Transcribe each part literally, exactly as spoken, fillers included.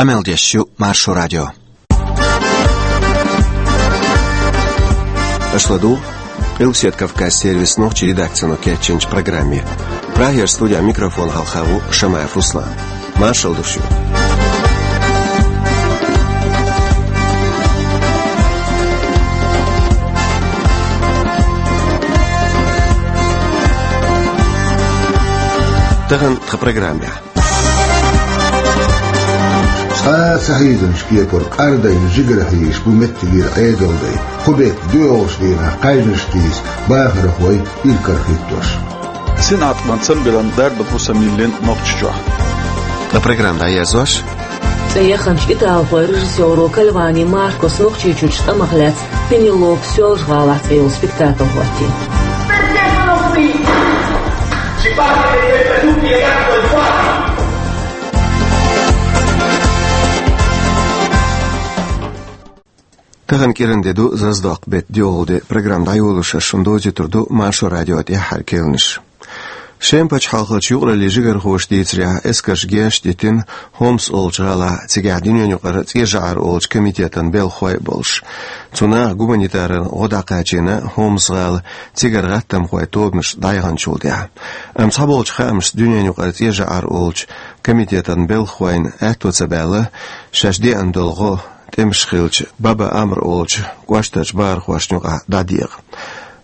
Къамел деш ю Маршо радио. Аша ладугӀу Къилбаседа Кавказан сервисан нохчийн редакцино кечйинчу программе. Прагера студин микрофона хьалха ву Шамаев Руслан. Маршалла ду шуьга. Тахана тхан программехь. Цхьа а ца хьийзинчу кепара къардайна жигара хьийзаш бу меттигера Ӏедалдай, кху беттан доьалгӀачу дийнахь кхаьжнаш тийса бахархой иракарахӀиттош. Синтем цамбилан дарба хӀусам йиллина Нохчийчохь. Ткъа программа дӀаерзош. ЦӀе яханчу италхойн режиссёро Кальвани Маркос Нохчийчуьрчу тӀамах лаьцна «Пенелоп Соьлжа-ГӀалахь» цӀе йолу спектакль хӀоттийна. Тахана кӀиран де ду, Заздоккху беттан доьалгӀа де. Программа дӀайолош ас шуна довзуьйтур ду Маршо радион тӀаьххьара керланаш. Шема пачхьалкхалчу юкъараллин жигархоша дийцарехь, эскарша герз диттина Хомс олучу гӀалахь, цигахь дуьненан юкъара ЦӀен жӀар олучу комитетан белхахой а болуш. Цу наха гуманитаран гӀо дӀакхачийна Хомс-гӀала, цигара гӀаттамхойн тобанаш дӀаяханчул тӀаьхьа. Амма цхьаболчу хаамашца дуьненан юкъара ЦӀен жӀар олучу комитетан белхахойн аьтто ца баьлла шаьш деана долу гӀо тӀемаш хиллачу Баба Амр олучу кӀоштарчу бахархошна юкъахь дӀадекъа.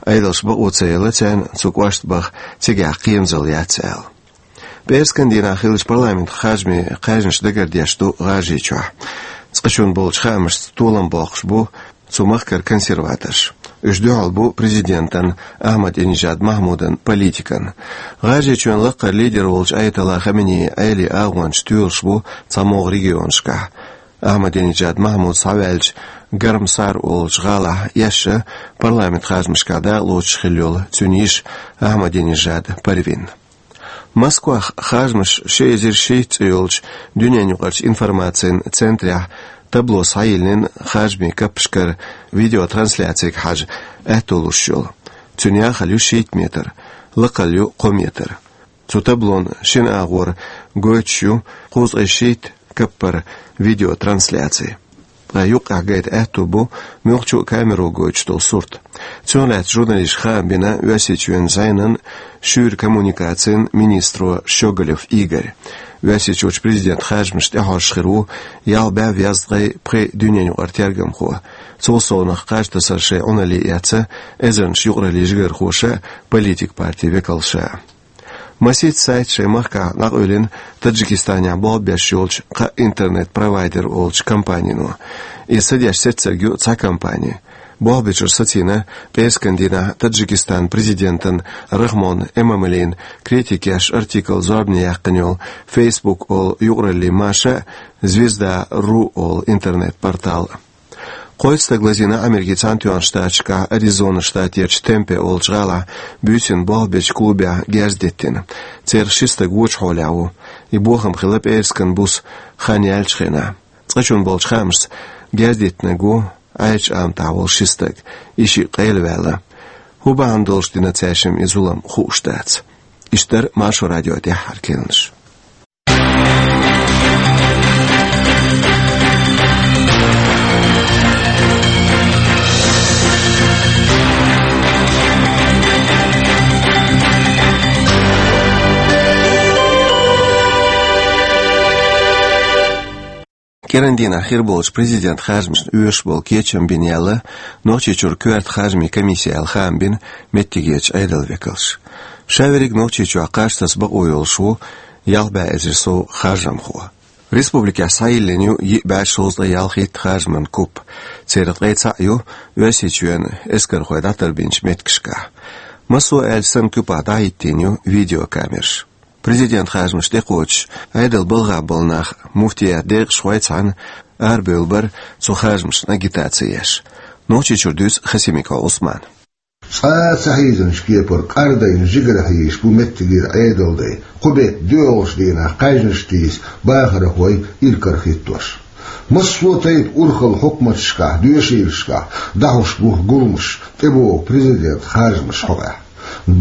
Ӏедалша бакъо ца елла царна цу кӀошта баха цигахь кхерамзалла яц аьлла. ПӀераскан дийнахь хиллачу парламентан харжамийн кхаьжнаш дагардеш ду ГӀажарийчохь. Цкъачунна болчу хаамашца толам боккхуш бу цу махкара консерваторш. Уьш дуьхьал бу президентан Ахьмадинежад Махьмудан политикана. ГӀажарийчоьнан лакхара лидер волчу Аятолла Хаменеи Ӏелин агӀончаш тоьлуш бу цхьамогӀа регионашкахь. Ахьмадинежад Махьмуд схьаваьллачу Гармсар олучу гӀалахь эшна парламентан харжамашкахь дакъалоцуш хилла йолу цуьнан йиша Ахьмадинежад Парвин. Москвахь харжамаш ши эзар шийтта цӀе йолчу дуьненан юкъарчу информацин центрехь табло схьайиллина харжамийн каппашкара видеотрансляцига хьажа аьтто луш йолу. Цуьнан яхалла ю шийтта метр, лакхалла ю кхо метр. Цу таблон шина агӀор гойтуш ю кхузткъе шийтта каппара видеотрансляци. Ткъа юккъехь гайта аьтто бу муьлххачу а камеро гойтуш долу сурт. Цунах лаьцна журналисташка хаам бина Оьрсийчоьнан зӀенан шуьйра коммуникацин министро Щеголев Игорь. Оьрсийчуьрчу президентан харжамаш тӀехьожуш хир ву ялх бӀе везткъе пхи дуьненан юкъара тергамхо. Цул совнаха кхаж тасар шайн Ӏуналле эцна эзарнаш юкъараллин жигархоша а, политикан партийн векалша а. Масийтта сайт шайн махкахь дӀакъевлина Таджикистанехь болх беш йолчу кхаа интернет-провайдер олучу компанино. Иза ца деш сецнарг ю цхьа компани. Болх бечуьра сацийна пӀераскан дийнахь Таджикистанан президентан Рахмон Эмомалин критика еш артикл зорбане яьккхина йолу Facebook олу юкъараллин маша а, Звезда ру олу интернет-портал а. Кхойтта стаг лазийна Америкин Цхьаьнатоьхначу Штаташкахь Аризона штатерчу Темпе олучу гӀалахь буьйсанна болх бечу клубехь герз диттина. Церах ши стаг вочу хьолехь ву. И бохам хилла пӀераскан буса хан яьллачу хенахь. Цкъачунна болчу хаамашца, герз диттинарг ву Ӏаьржачу аматахь волу ши стаг, и шиъ къайлаваьлла. ХӀун бахьана долуш дина цаьршимма и зулам, хууш дац. Иштта дара Маршо радион тӀаьххьара керланаш. КӀиран дийнахь хир болчу президентан харжамашна оьшуш болу кечам бина яьлла Нохчийчуьра коьрта харжамийн комисси аьлла хаам бина меттигерчу Ӏедалан векалша. Ша верриг Нохчийчохь кхаж таса бакъо йолуш ву ялх бӀе эзар сов харжамхо. Республикехь схьайиллина ю йиъ бӀе шовзткъе ялхитта харжаман куп. Церан ткъе цхьаъ ю Оьрсийчоьнан эскархой дӀатарбинчу меттигашкахь. Массо а аьлча санна, куьпахь дӀахӀиттийна ю видеокамераш. Президентан харжамаш тӀекхочуш, Ӏедалан балхахь болу нах, муфтиятан декъашхой а цхьаьна, арабевлла бара цу харжамашна агитаци еш. Нохчийчуьра дуьйцу Хасимиков Ӏусмана. Цкъа а ца хьийзинчу кепара къардайна жигара хьийзаш бу меттигера Ӏедалдай, кху беттан доьалгӀачу дийнахь кхаьжнаш тийса бахархой иракарахӀиттош. Массо а тайпа урхалла хьукматашкахь, доьшийлашкахь дӀахьуш бу гуламаш, тӀебогӀу президентан харжамаш хьокъехь.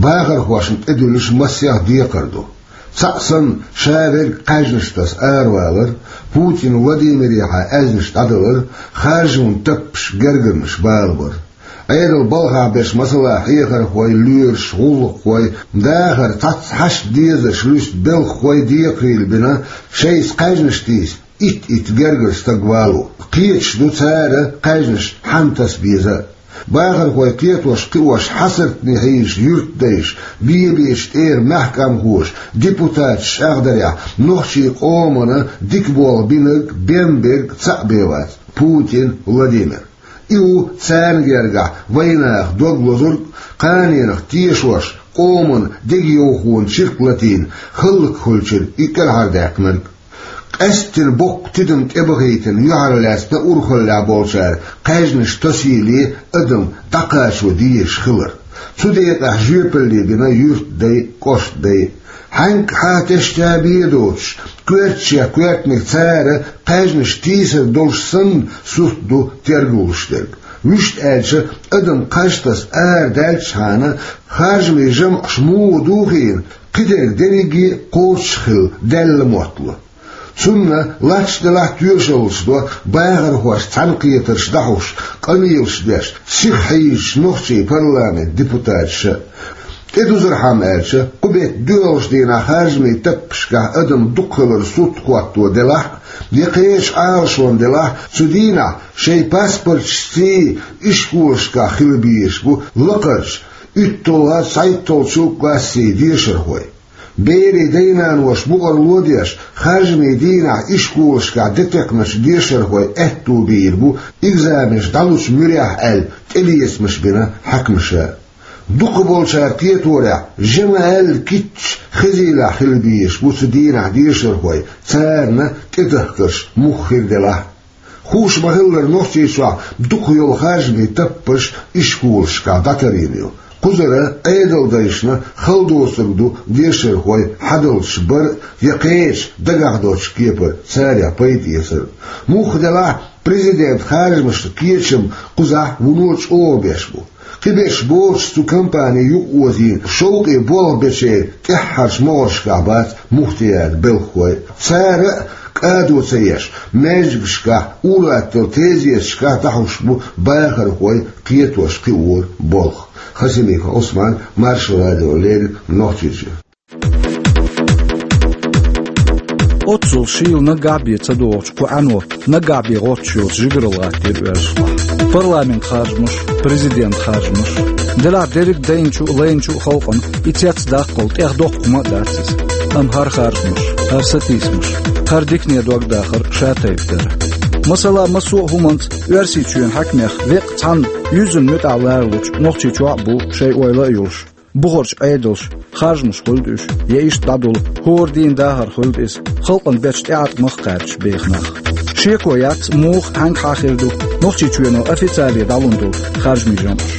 Бахархошна тӀедуьллуш массех декхар ду. Цхьаъ санна, ша верриг кхаьжнаш таса аравалар, Путин Владимирехьа аьзнаш дӀадалар, харжаман таппаш, гергарнаш балабар. Ӏедал балхахь берш, масала, хьехархой, лоьраш, гӀуллакххой, дахар цхьацца хьашт дезарш луьста белхахой декхарийлахь бина, шайца кхаьжнаш тийса итт-итт гергара стаг вало. Кхеташ ду цара кхаьжнаш хьанна таса беза а. Бахархой кхетош-кхиош хьасартане хьийзаш юьртдайша, бе-бечу тӀера маьхкамхоша, депутаташ чӀагӀдарехь, нохчийн къомана дика болх бинарг, бен берг цхьаъ бен вац: Путин Владимир. И ву царна гергахь вайнаха дог лозург, кханенах тешош, къоман дегайовхонан чиркх латийна, хӀаллакьхуьлучуьра и кӀелхьардаьккхинарг. Къаьсттина боккха тидам тӀебахийтина юьхьарлаьцна урхаллехь болчара кхаьжнаш тосийле адам дӀакхачо дезаш хилар. Цу декъехь жоьпалле бина юьртдай а, кӀоштдай а. Хьаьнга хьан тешта бен доцуш, коьртачех коьртаниг цара кхаьжнаш тийсар долуш санна, сурт ду тергалуш дерг. Вуьшта аьлча, адам кхаж таса арадаьллачхьана, харжамийн жамӀаш муха духийна, кхидерг дерриге а кхочуш хилла, даьлла моттало. Цунна латта делахь а тоьшаллаш до бахархошца цхьаьнакхетарш дӀахьош, къамелаш деш, сиха хьийзачу нохчийн парламентан депутаташа. ТӀедузурхьама аьлча, кху беттан доьалгӀачу дийнахь харжамийн таппашкахь адам дукха хилар сурт хӀотто делахь а, я кхечу Ӏалашонна делахь а, цу дийнахь шайн паспорташций ишколашкахь хила безаш бу лакхарчу, уьтталгӀа, цхьайтталгӀачу классийн дешархой. Берийн дай-наноша букъарло а деш, харжамийн дийнахь ишколашкахь де текхначу дешархойн аьтто бийр бу экзаменаш дӀалучу муьрехь аьлла, тӀелецамаш бина хьаькамаша. Дукхахболчара кхеторехь, жа ма-аьлла кийча хезийлахь хила безаш бу цу дийнахь дешархой, царна тӀедахкарш муха хир делахь а. Хууш ма-хиллара, Нохчийчохь дукха йолу харжамийн таппаш ишколашкахь дӀатарийна ю. Кхузара Ӏедалдайшна хала доцург ду дешархой хьадалчаш бар а, я кхечу дагахь доцчу кепара царех пайда эцар а. Муха делахь а, президентан харжамашна кечам кхузахь вуно чӀогӀа беш бу. Кхиберш боцуш, цу кампани юкъаозийна шовкъе болх бечеран тӀаьххьарчу могӀаршкахь бац муфтиятан белхахой. Цара а кӀадо ца еш, маьждигашкахь, ур-атталла тезеташкахь дӀахьош бу бахархой кхетош-кхиоран болх. Хасимиков Ӏусман, Маршо радиона леррина, Нохчийчоь. Оццул шийла наггахь бен ца догӀучу кху Ӏано наггахь бен гӀоттуш йоцу жигаралла гӀаттийра оьрсашкахь. Парламентан харжамаш, президентан харжамаш. Делахь дерриг дайначу а, лайначу а халкъана и цецдаккхал тӀех доккха хӀума а дац иза. Амма хӀара харжамаш, хӀара сатийсамаш, хӀара дикане догдахар ша тайпа дара. Масала, массо а хӀуманца Оьрсийчоьнан хьаькамех веккъа цхьанна юьззина муьтӀахь ларалучу Нохчийчохь а бу шайн ойла а йолуш, бухарчу Ӏедалша харжамаш хуьлда уьш, я иштта дӀадула хӀора дийнан дахар хуьлда иза, халкъана бечу тӀеӀаткъамах а кхаьбча беха нах. Шеко яц, муха, хьаьнга хьан хир ду Нохчийчоьно официале дӀалун долу харжамийн жамӀаш.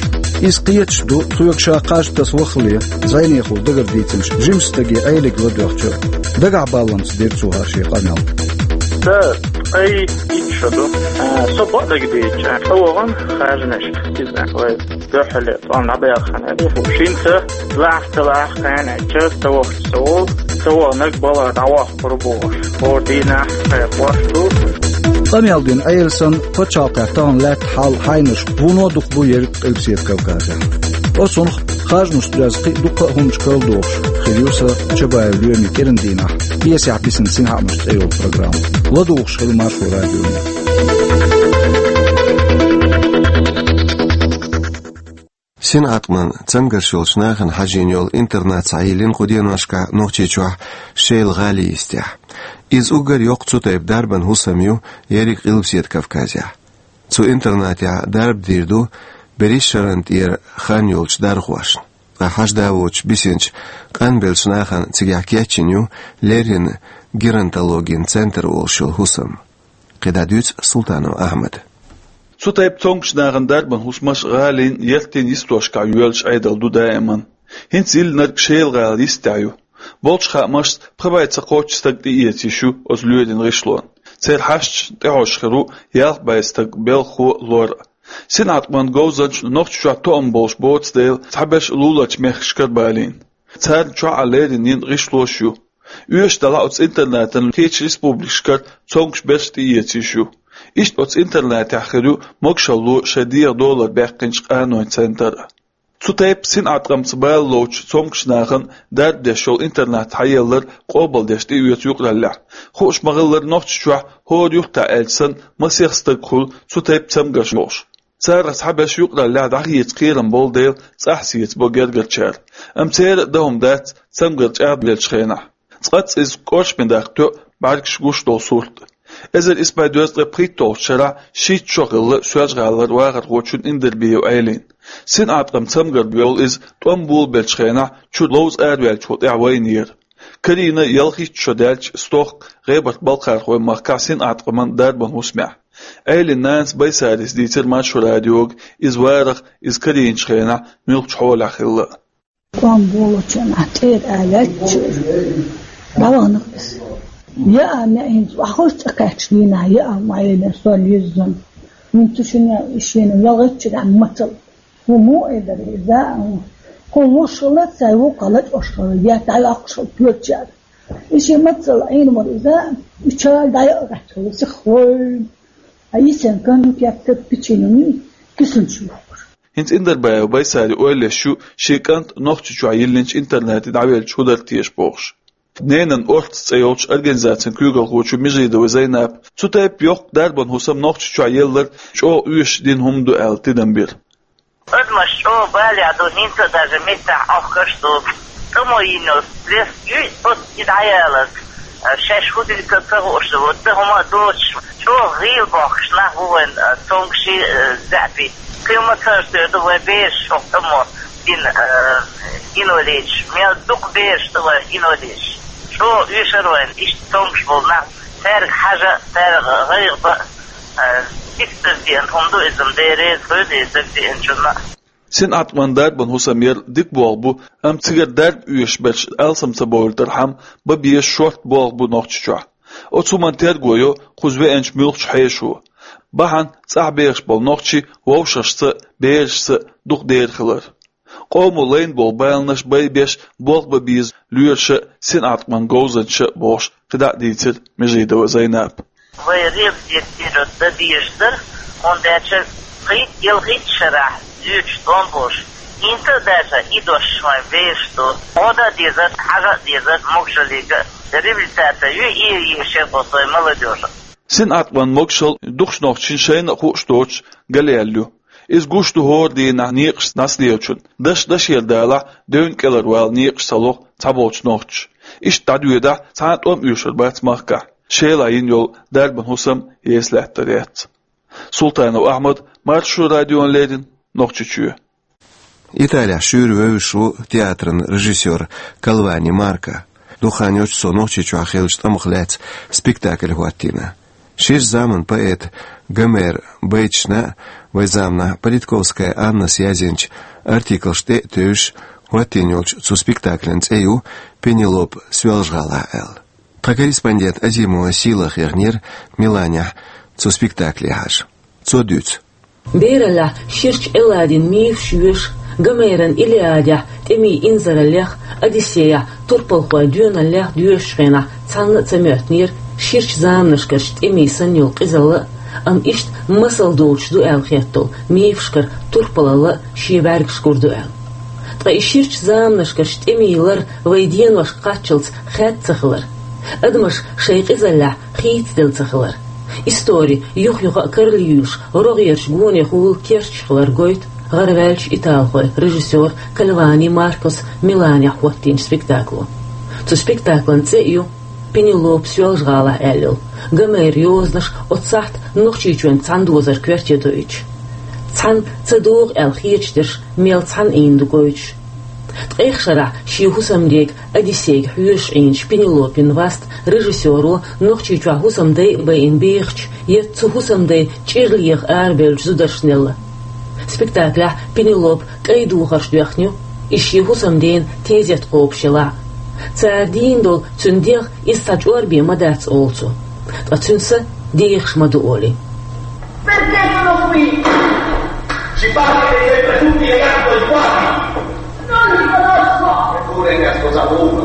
Иза кхеташ а ду, соьга ша кхаж таса ваххале зӀенехула дагардийцинчу жимачу стаге Ӏелига ладоьгӀча а. Дагахь баллалц дира цо хӀара шен къамел. Сан ткъе итт шо ду. А, со бакъдерг дийцича, тӀе вахана харжамашка, иза вай дуьххьарлера тӀом дӀабаьлла хан аьлла, шина са лахьта-лахьта кхаьннича, ца вахча со волу, ца ваханарг балха дӀаваккхур бохуш, хӀора дийнахь кхайкхош ду. Къамел дина Ӏела санна, пачхьалкхехь тахана лаьтта хьал, хьайнаш вуно дукха бу ерриг Къилбаседа Кавказехь. Оцунах харжамашца доьзна кхин а дуккха а хӀуманаш карладохуш хир ю сан Чабаев Лоьмин кӀиран дийнахь, пьесехь бисина синхаамаш цӀе йолу программа. ЛадугӀуш хила Маршо радионе. Синхааман цангарш йолчу нахана хьажийна йолу интернат схьайиллина кху деношкахь Нохчийчохь, Шелан гӀали йистехь. Иза уггар йоккха цу тайпа дарбан хӀусам ю ерриг Къилбаседа Кавказехь. Цу интернатехь дарба дийр ду берриш шарна тӀера хан йолчу дархошна. Ткъа хьажа а воцуш бисинчу къанбеллачу нахана цигахь кечйина ю леррина геронтологин центр олуш йолу хӀусам. КхидӀа дуьйцу Султанов Ахьмада. Цу тайпа цомгуш нахана дарбан хӀусамаш гӀалин, яртин йистошкахь йоьллуш Ӏедал ду даиман. ХӀинца йиллинарг Шелан гӀала йистехь ю. Болчу хаамашца, пхи бӀе ца кхоччу стаг тӀеэца йиш ю оцу лоьрийн гӀишлонна. Церан хьашташна тӀехьожуш хир ву ялх бӀе стаг, белхахо а, лор а. Синхааман говзанчашна Нохчийчохь тоам болуш боцу дела, цхьаберш луларчу мехкашкара балийна. Царна чохь а леррина йина гӀишлош а ю. Оьшуш делахь а, оцу интернатана кхечу республикашкара цомгуш берш тӀеэца йиш ю. Иштта оцу интернатехь хир ю могушалло шайн дегӀан долара баьккхинчу къаноийн центр а. Цу тайпа синӀаткъамца бала лоцучу цомгуш нахана дарба деш йолу интернат схьаеллар къобалдеш тӀеоьцу юкъараллехь. Хууш ма-хиллара, Нохчийчохь хӀора юххехь аьлча санна, масех стаг хуьлу цу тайпа цамгарш болуш. Царах цхьаберш юкъараллехь дӀахеца кхерам болу дела, цӀахь сецабо гергарчара. Амма церан а дан хӀума дац цамгар чӀагӀделлачу хенахь. Цкъаццалц иза кӀоршаме даккха тоьу бӀаьргаш гуш долу сурт. Эзар исс бӀе дезткъе пхийтталгӀачу шарахь шийтта шо хилла Соьлжа-ГӀалара вахархочун Индербиев Ӏелин. СинӀаткъам цамгар болу иза тӀом болабеллачу хенахь чуьра ловза араваьллачул тӀаьхьа вайнера. Карийна ялхитта шо даьлча стохка ГӀебарта-Балкхархойн махкахь синӀаткъаман дарбан хӀусамехь. Ӏелин нанас Байсарис дийцира Маршо радиога иза варах, иза карийначу хенахь муьлххачу хьолехь хилла. ТӀом болучу хенахь тӀера а лаьттачуьра, дӀавахана иза. Яа, неӀ хӀинца охьахуьйсу цӀа кхаьчча дийнахь, яа, ма Ӏелин, сол йиззина. ХӀинца шуна шена ялхитта шарахь мацалла. ХӀун муха элира иза? Кху луш хилла, цай вукху лачкъош хилла, я дӀайоккхуш хилла тоьлучара. И шен мацалла Ӏийна вара иза, и чара дӀайа а гӀаттахула, сиха война. А йисина кан ю кепта печенье, кисанаш юхкуш. ХӀинца Индербиев Байсари ойла еш ю, шен кӀант Нохчийчохь йиллинчу интернате дӀавелча хӀун дара теша бохуш. «Ненан орца» цӀе йолчу организацин куьйгалхочо Межидова Зайнапа цу тайпа йоккха дарбан хӀусам Нохчийчохь еллар чӀогӀа оьшуш дина хӀума ду аьлла тидам бира. Адамаш чӀогӀа балехь ду, хӀинца а даже меттахь Ӏохкуш ду. ТӀамо йина йолу стресс юй оцу и дӀаяларг, шаьш хӀун дина ца хууш ду, ца хӀума а доцуш, чӀогӀа гӀийла бохкуш нах бу вайн, а, цомгуший, а, заьӀапий. Кхин ма ца хӀоьттур ду вайн бераш хӀокху тӀамо дина, а, инвалидаш. Мел дукха бераш ду вайн инвалидаш. ЧӀогӀа оьшура вайн иштта цомгуш болу нах. Цаьрга хьажа, цаьрга гӀайгӀа бан, а, дика дагадеана хӀума ду иза, Дела реза хуьлда иза дагадеанчунна. СинӀаткъаман дарбан хӀусам яр дика болх бу, амма цигара дарба оьшуш берш алсам ца бовлийтархьама, бан безаш шорта болх бу Нохчийчохь. Оцу хӀуманна терго йо кхуза веанчу муьлххачу хьешо. Бахьана цӀахь бехаш болу нохчий вовшашца а, берашца а дукха дера хилар. Къомо лайна болу баланаш байбеш, болх бан беза лоьраша а, синӀаткъаман говзанчаша а бохуш, кхидӀа а дийцира Межидова Зайнапа. Вай реабилитировать дан дезаш дара, хӀунда аьлча пхийтта-ялхитта шарахь дуьйцуш тӀом болуш, хӀинца а даьлча и дош вайн беш ду. Гьода а дезара, хьажа а дезара, могушаллига а реабилитация ю, и, и шербо вай молодёжа. СинӀаткъаман могушалла дукхачу нохчийн шайна а хууш доцуш галъяьлла ю. Иза гуш ду хӀора дийнахь некъаш дӀасалелачун, даш-дашера далахь, девнан кӀелара вала некъаш ца лоху цхьаболчу нохчаша. Иштта дӀадоьдахь, цхьа а тӀом оьшур бац махкахь, Шелахь йина йолу дарбан хӀусам еса лаьттар яц. Султанов Ахьмад, Маршо радиона леррина, Нохчийчоь. Италехь шуьйра вевзаш ву театран режиссёр Кальвани Марко. Дукха хан йоццуш цо Нохчийчохь хиллачу тӀамах лаьцна спектакль хӀоттийна. Ширачу заманан поэт Гомер байташна а, вайн заманахь Политковская Аннас язйинчу артиклашна тӀе а тевжаш, хӀоттийна йолчу цу спектаклан цӀе ю «Пенелоп Соьлжа-ГӀалахь» аьлла. Тхан корреспондент Азимова Сийлаха хьехнера Миланехь цу спектакле хьажа. Цо дуьйцу. Бераллехь ширачу Элладин мифаш йоьшу, Гомеран Илиадехь тӀемийн инзараллех, Одиссеяхь турпалхойн доьналлех доьшучу хенахь цхьанна а ца моьттинера ширачу заманашкарчу тӀемийн санна йолу къизалла а, амма иштта масал доцуш ду аьлла хетталу мифашкара турпалалла а шен бӀаьргаш гур ду аьлла. Ткъа и ширачу заманашкарчу тӀемийн лар вайн деношка кхаччалц хаьдда ца хилар, адамаш шайн къизаллехь хийцаделла ца хилар, истори юха-юха а каралйуьйлуш, рогӀерчу гонехула керчаш хилар гойту гӀараваьллачу италхойн режиссёра Кальвани Маркос Миланехь хӀоттийначу спектакло. Цу спектаклан цӀе а ю «Пенелоп Соьлжа-ГӀалахь» аьлла йолу, Гомеран йозанаш оцу сахьта Нохчийчоьнца цхьана дозарг коьрте доуьйтуш. Цхьаьна ца догӀу аьлла хеташ дерш мел цхьаьна ийна ду гойтуш. Ткъех шарахь шен хӀусамдега Одиссейга хьоьжуш Ӏийначу Пенелопин васт режиссёро Нохчийчохь хӀусамдай а байина бехачу, я цу хӀусамдайн чӀир леха арабевллачу зударшна елла. Спектаклехь Пенелопа кӀайн духарш доьхна ю, иза шен хӀусамдена тезет кхобуш елахь а. Цара дийна долу цуьнан дегӀ иза цхьа чӀор бен ма дац олу цо. Ткъа цуьнан са дехаш ма ду олий. Perché sono qui? Ci pare che siete tutti e quattro i quasi. Non li conosco! Eppure casco saputo.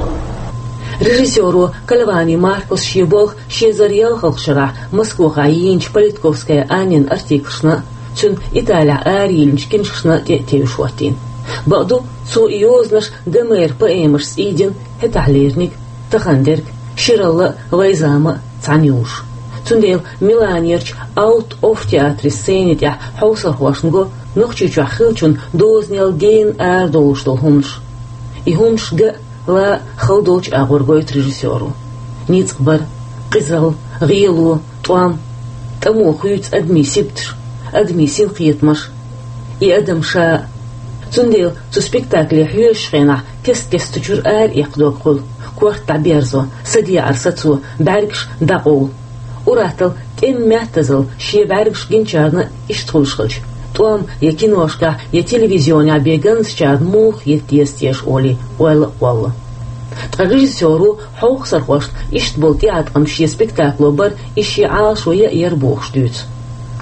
Режиссёро Кальвани Маркус шен болх ши эзар ялхалгӀачу шарахь Москвахь йинчу Политковская Аннин артиклашна, цуьнан Италехь арайиллинчу киншкашна тӀе а тевжаш хӀоттийна. Бакъду, цо и йозанаш Гомеран поэмашца ийдина, хӀетахь леринарг, тахана дерг, ширалла а, вайн зама а цхьаьна йолуш. Цундела Миланерчу Аут Офф театран сцени тӀехь хьовсархошна го Нохчийчохь хиллачун дозанел гена арадолуш долу хӀуманаш. И хӀуманаш ган а, лан а хала долчу агӀор гойту режиссёро. Ницкъ бар, къизалла, гӀело, тӀом, тӀамо хуьйцу адамийн сибаташ, адамийн синкхетамаш, и адам ша а. Цундела цу спектакле хьоьжучу хенахь кест-кеста цу чуьра ара эккха дог хуьлу, корта дӀаберзо, садеӀар сацо, бӀаьргаш дӀакъовла. Ур-атталла, тӀеман меттазалла шен бӀаьргаш гиначарна иштта хуьлуш хилча, тӀом я киношкахь, я телевизионехь бен ганзачарна муха хета деза теша олий, ойла а кхолла. Ткъа режиссёро хьовсархошна иштта болу тӀеӀаткъам шен спектакло бара, и шен Ӏалашо ян а яра бохуш дуьйцу.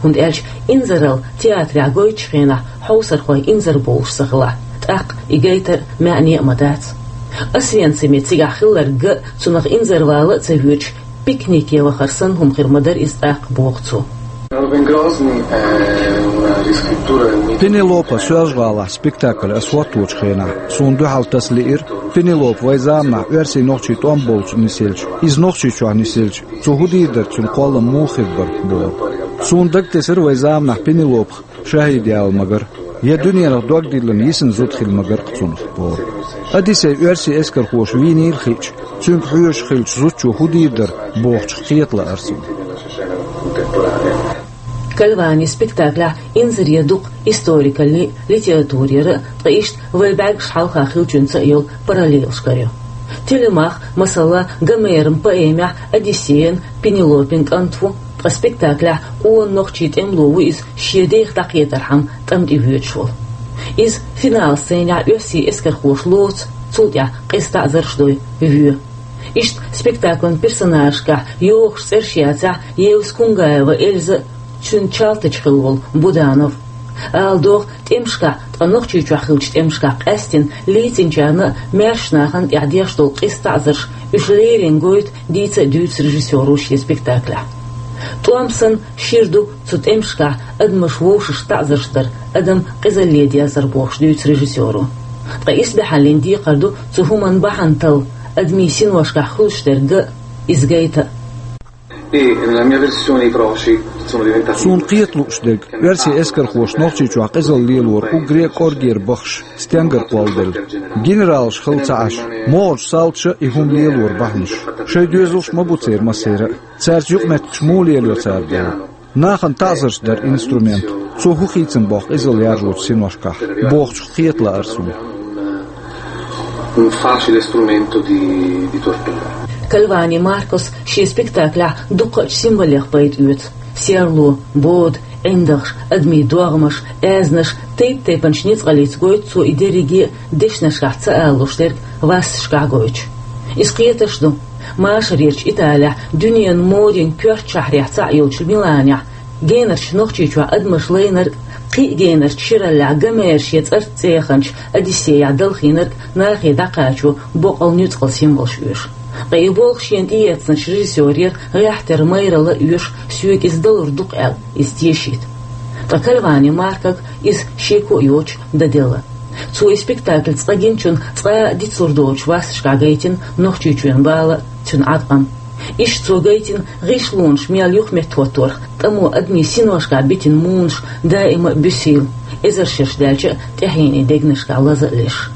ХӀунда аьлча инзаралла театрехь гойтучу хенахь хьовсархой инзарбовлуш ца хилахь, тӀаккха и гайтар а, маьӀне а ма дац. Освенциме цигахь хилларг ган а, цунах инзарвала а ца воьдуш, пикнике вахар санна хӀума хир ма дара иза тӀаккха, боху цо. Пенелопа Соьлжа-ГӀалахь спектакль ас хӀотточу хенахь, суна дуьхьал таса лиира Пенелопа вайн заманахь оьрсийн-нохчийн тӀом болчу нисъелча, иза Нохчийчохь нисъелча, цо хӀун дийр дара, цуьнан кхоллам муха хир бара бохург. Суна дагатесира вайн заманахь Пенелопах шахӀид яла ма-гарра, я дуьненах дог диллина йисина зуда хила ма-гарра-кх цунах бохург. Одиссей оьрсийн эскархоша вийнийла хиъча, цуьнга хьоьжуш хиллачу зудчо хӀун дийр дара бохучух кхета лаара суна. Кальвани спектаклехь инзаре дукха историкаллин а, литературера а, ткъа иштта вайн бӀаьргаш хьалха хиллачуьнца а йолу параллелаш карайо. Телемах, масала, Гомеран поэмехь Одиссеян, Пенелопин кӀант ву, ткъа спектаклехь къона нохчийн тӀемало ву иза, шен дех дӀакхетархьама тӀам тӀе воьдуш волу. Иза финал сценехь оьрсийн эскархоша лоцу, цул тӀаьхьа къиза таӀзарш дой, воь. Иштта спектаклан персонажашкахь йогӀуш цӀераш яцахь, Евскунгаева Эльза а, цуьнан чалтача хилла волу Буданов. Ала догӀу, тӀемашкахь, ткъа Нохчийчохь хиллачу тӀемашкахь къаьстина лецначарна а, маьршачу нахана тӀехь деш долу къиза таӀзарш, уьш леррина гойту, дийца а дуьйцу режиссёро шен спектаклехь. ТӀом санна шира ду цу тӀемашкахь адамаш вовшашна таӀзарш дар, адам къизалле дерзар бохуш дуьйцу режиссёро. Ткъа исбаьхьаллин декхар ду цу хӀуманан бахьана талла, адамийн синошкахь хуьлуш дерг ган а, иза гайта а. И на mia versione i proci sono diventati... Суна кхета лууш дерг, оьрсийн эскархоша Нохчийчохь къизалла лелоран уггаре а кӀоргера бахаш стенгара кхолладелла. Генералаш хилла ца Ӏаш, могӀарчу салташа и хӀума лелоран бахьанаш. Шайн доьзалш ма бу церан массеран а. Цаьрца юкъаметтигаш муха лелайо цара боху. Нахана таӀзарш дар инструмент, цо хӀун хийцина боху къизалла яржочу синошкахь, бохучух кхета лаара суна. Un facile strumento di, di tortura. Кальвани Маркус шен спектаклехь дукхачу символех пайда оьцу: серло, бода, ӀиндагӀаш, адамийн догӀмаш, аьзнаш, тайп-тайпанчу ницкъаллица гойту цо и дерриге а, дешнашкахь ца алалуш дерг васташкахь гойтуш. Иза кхеташ ду. Машарерчу Италехь, дуьненан модин коьрта шахьарехь цхьаъ йолчу Миланехь, генарчу Нохчийчохь адамаш лайнарг, кхин а генарчу шираллехь Гомера шен цӀарца цӀе яханчу Одиссеяхь далхийнарг нахе дӀакхачо боккъал нуьцкъала символш оьшу. Ткъа и болх шена тӀеэцначу режиссёрера гӀеххьтера майралла а оьшу, соьга иза далур ду-кх аьлла, иза тешийта. Ткъа Кальвани Маркус иза шеко а йоцуш дан делла. Цо и спектакль цкъа гиначунна цкъа а дицлур доцуш васташкахь гайтина Нохчийчоьнан бала а, цуьнан Ӏаткъам. Иштта цо гайтина гӀишлонаш мел юхаметтахӀотторах, тӀамо адамийн синошкахь битина мунаш даима а буьсийла, эзар шераш даьлча а тӀаьхьенийн дегнашкахь лаза а леш.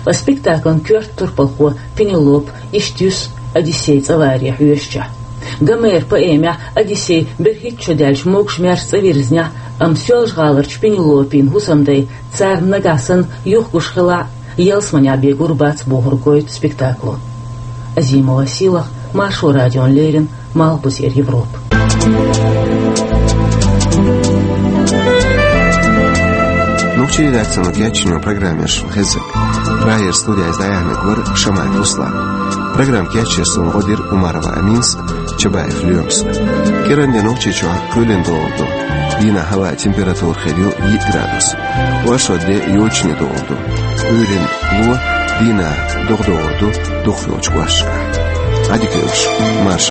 Ткъа спектаклан коьрта турпалхо Пенелопа иштта юьсу Одиссей цӀа варе хьоьжучехь. Гомеран поэмехь Одиссей берхӀитта шо даьлча могуш-маьрша цӀа вирзинехь, амма Соьлжа-ГӀаларчу Пенелопин хӀусамдай царна нагахь санна юхагуш хилахь а, ялсаманехь бен гур бац бохург гойту спектакло. Азимова Сийлаха, Маршо радиона леррина, Малхбузера Европа. Нохчийн редакцино кечйинчу программех шун хезира. Прагера студехь дӀаяьхьнарг вара Шамаев Руслан. Программа кечъеш суна гӀо дира Умарова Аминас, Чабаев Лоьмас. КӀиранде Нохчийчохь кхоьлина догӀур ду. Дийнахь хӀаваан температура хир ю йиъ градус. Оршот де йочане догӀур ду. Ӏуьйранна ло, Дийнахь, догӀа догӀур ду дукхачу кӀошташкахь. Ӏадика йолуш, марш